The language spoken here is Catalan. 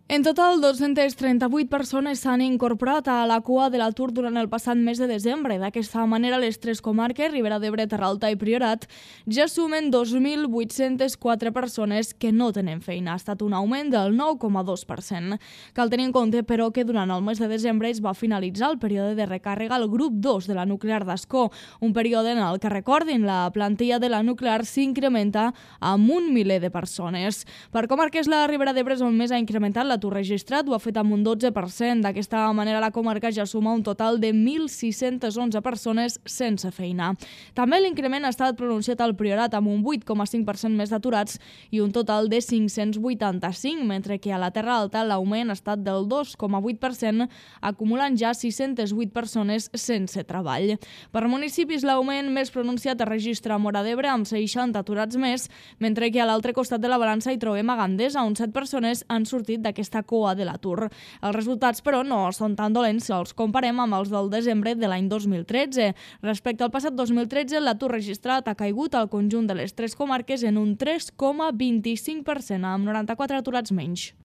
En total, 238 persones s'han incorporat a la cua de l'atur durant el passat mes de desembre. D'aquesta manera, les tres comarques, Ribera d'Ebre, Terra Alta i Priorat, ja sumen 2.804 persones que no tenen feina. Ha estat un augment del 9,2%. Cal tenir en compte, però, que durant el mes de desembre es va finalitzar el període de recàrrega al grup 2 de la nuclear d'Ascó, un període en el que, recordin, la plantilla de la nuclear s'incrementa amb 1 miler de persones. Per comarques, la Ribera d'Ebre és on més ha incrementat l'atur registrat, ho ha fet amb un 12%. D'aquesta manera, la comarca ja suma un total de 1.611 persones sense feina. També l'increment ha estat pronunciat al Priorat, amb un 8,5% més d'aturats i un total de 585, mentre que a la Terra Alta l'augment ha estat del 2,8%, acumulant ja 608 persones sense treball. Per municipis, l'augment més pronunciat es registra a Móra d'Ebre, amb 60 aturats més, mentre que a l'altre costat de la balança hi trobem a Gandesa, on 7 persones han sortit d'aquesta cua de l'atur. Els resultats, però, no són tan dolents si els comparem amb els del desembre de l'any 2013. Respecte al passat 2013, l'atur registrat ha caigut al conjunt de les tres comarques en un 3,25%, amb 94 aturats menys.